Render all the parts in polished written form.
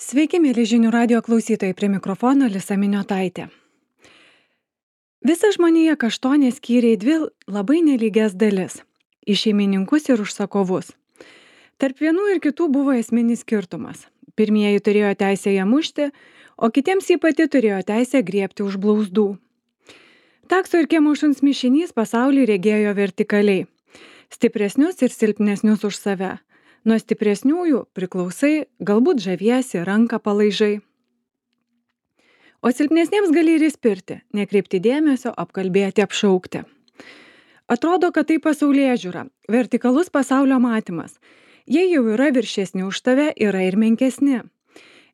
Sveiki, mėly žinių radio klausytojai, prie mikrofono Lisa Miniotaitė. Visa žmonija kaštonė skyrė į dvi labai nelygias dalis - į šeimininkus ir užsakovus. Tarp vienų ir kitų buvo esminis skirtumas. Pirmieji turėjo teisę ją mušti, o kitiems jį pati turėjo teisę griebti už blauzdų. Takso ir kiemo šuns mišinys pasaulį regėjo vertikaliai - stipresnius ir silpnesnius už save. Nuo stipresniųjų priklausai, galbūt žaviesi, ranką palaižai. O silpnesniems gali ir įspirti, nekreipti dėmesio, apkalbėti, apšaukti. Atrodo, kad tai pasaulėžiūra, vertikalus pasaulio matymas. Jei jau yra viršesni už tave, yra ir menkesni.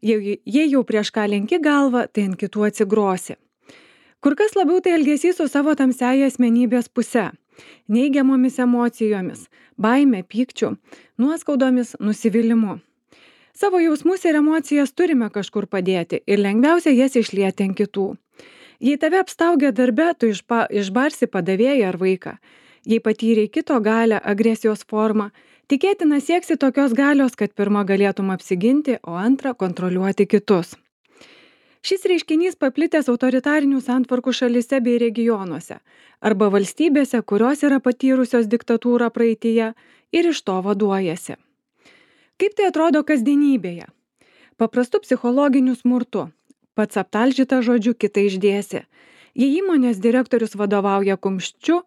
Jei jau prieš ką lenki galvą, tai ant kitų atsigrosi. Kur kas labiau tai elgesys su savo tamsiaja asmenybės puse. Neigiamomis emocijomis, baime, pykčiu, nuoskaudomis, nusivylimu. Savo jausmus ir emocijas turime kažkur padėti ir lengviausia jas išlieti ant kitų. Jei tave apstaugia darbe, tu išbarsi padavėją ar vaiką. Jei patyrei kito galią, agresijos formą, tikėtina sieksi tokios galios, kad pirma galėtum apsiginti, o antra kontroliuoti kitus. Šis reiškinys paplitęs autoritarinių santvarkų šalyse bei regionuose arba valstybėse, kurios yra patyrusios diktatūrą praeityje ir iš to vaduojasi. Kaip tai atrodo kasdienybėje? Paprastu psichologiniu smurtu. Pats aptalžyta žodžiu, kitai išdėsi. Jei įmonės direktorius vadovauja kumščiu,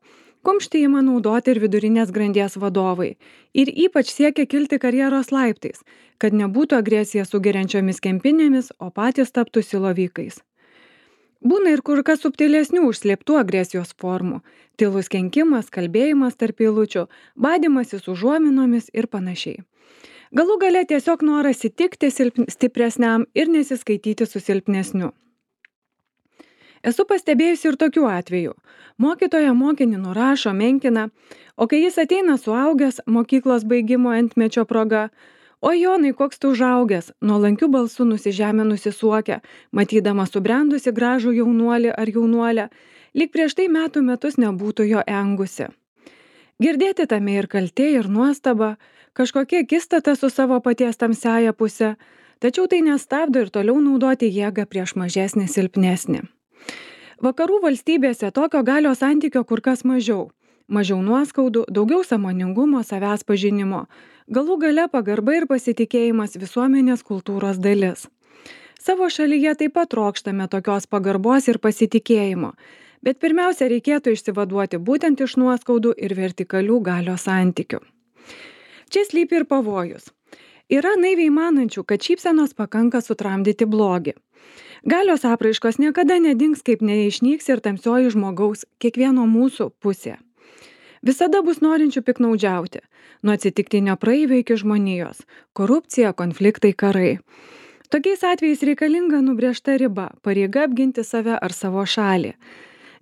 kumštį ima naudoti ir vidurinės grandies vadovai. Ir ypač siekia kilti karjeros laiptais, kad nebūtų agresija sugeriančiomis kempinėmis, o patys taptų silovykais. Būna ir kur kas subtilesnių užslėptų agresijos formų - tylus kenkimas, kalbėjimas tarp eilučių, badymasis užuominomis ir panašiai. Galų gale tiesiog noras įtikti stipresniam ir nesiskaityti su silpnesniu. Esu pastebėjusi ir tokių atvejų. Mokytoja mokinį nurašo, menkina, o kai jis ateina suaugęs mokyklos baigimo antmečio proga, o Jonai, koks tu užaugęs, nuolankiu balsu nusižeminusi suokia, matydama subrendusi gražų jaunuolį ar jaunuolę, lyg prieš tai metų metus nebūtų jo engusi. Girdėti tame ir kaltė, ir nuostaba, kažkokia akistata su savo paties tamsiaja puse, tačiau tai nestabdo ir toliau naudoti jėgą prieš mažesnį silpnesnį. Vakarų valstybėse tokio galios santykio kur kas mažiau. Mažiau nuoskaudų, daugiau sąmoningumo, savęs pažinimo. Galų gale pagarba ir pasitikėjimas visuomenės kultūros dalis. Savo šalyje taip pat trokštame tokios pagarbos ir pasitikėjimo, bet pirmiausia reikėtų išsivaduoti būtent iš nuoskaudų ir vertikalių galios santykių. Čia slypi ir pavojus. Yra naiviai manančių, kad šypsenos pakanka sutramdyti blogį. Galios apraiškos niekada nedings, kaip neišnyks ir tamsioji žmogaus, kiekvieno mūsų pusė. Visada bus norinčių piknaudžiauti, nuo atsitiktinio praeivio iki žmonijos, korupcija, konfliktai, karai. Tokiais atvejais reikalinga nubrėžta riba, pareiga apginti save ar savo šalį.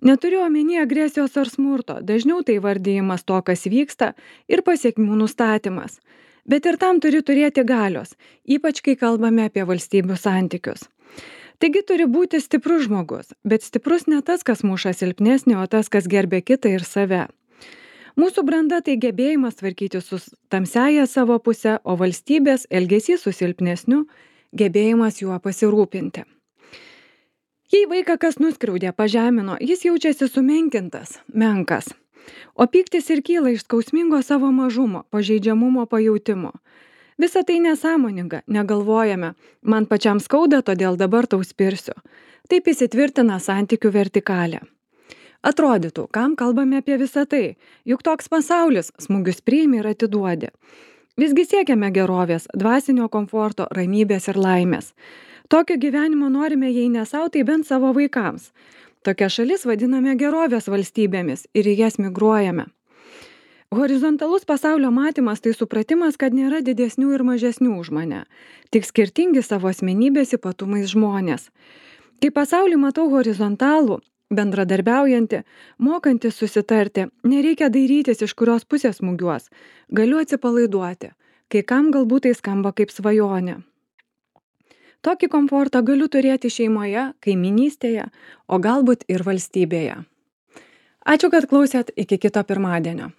Neturiu omeny agresijos ar smurto, dažniau tai vardijimas to, kas vyksta ir pasiekmių nustatymas. Bet ir tam turi turėti galios, ypač kai kalbame apie valstybių santykius. Taigi turi būti stiprus žmogus, bet stiprus ne tas, kas muša silpnesnį, o tas, kas gerbia kitą ir save. Mūsų branda tai gebėjimas tvarkyti su tamsiaja savo puse, o valstybės elgesys su silpnesniu gebėjimas juo pasirūpinti. Jei vaiką kas nuskriaudė, pažemino, jis jaučiasi sumenkintas, menkas. O pyktis ir kyla iš skausmingo savo mažumo, pažeidžiamumo pajautimo. Visa tai nesąmoninga, negalvojame, man pačiam skauda, todėl dabar tau spirsiu. Taip įsitvirtina santykių vertikalė. Atrodytų, kam kalbame apie visą tai, juk toks pasaulis, smūgius priimi ir atiduodi. Visgi siekiame gerovės, dvasinio komforto, ramybės ir laimės. Tokio gyvenimo norime, jei ne savo, tai bent savo vaikams. Tokia šalis vadiname gerovės valstybėmis ir į jas migruojame. Horizontalus pasaulio matymas tai supratimas, kad nėra didesnių ir mažesnių už mane, tik skirtingi savo asmenybės ypatumais žmonės. Kai pasaulį matau horizontalų, bendradarbiaujantį, mokantį susitarti, nereikia dairytis, iš kurios pusės smūgiuos. Galiu atsipalaiduoti, kai kam galbūt tai skamba kaip svajonė. Tokį komfortą galiu turėti šeimoje, kaiminystėje, o galbūt ir valstybėje. Ačiū, kad klausėt, iki kito pirmadienio.